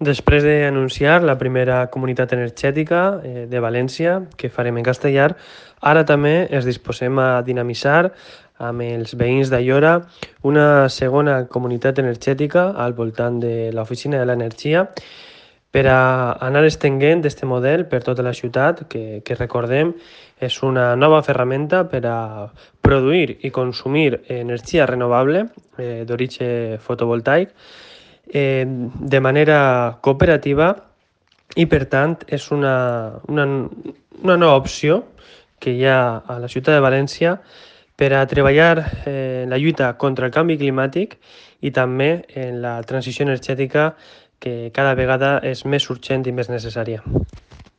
Després d'anunciar la primera comunitat energètica de València, que farem en castellà, ara també ens disposem a dinamitzar amb els veïns d'Aiora una segona comunitat energètica al voltant de l'Oficina de l'Energia per a anar estenent aquest model per tota la ciutat, que recordem és una nova ferramenta per a produir i consumir energia renovable d'origen fotovoltaic de manera cooperativa i, per tant, és una nova opció que hi ha a la ciutat de València per a treballar en la lluita contra el canvi climàtic i també en la transició energètica que cada vegada és més urgent i més necessària.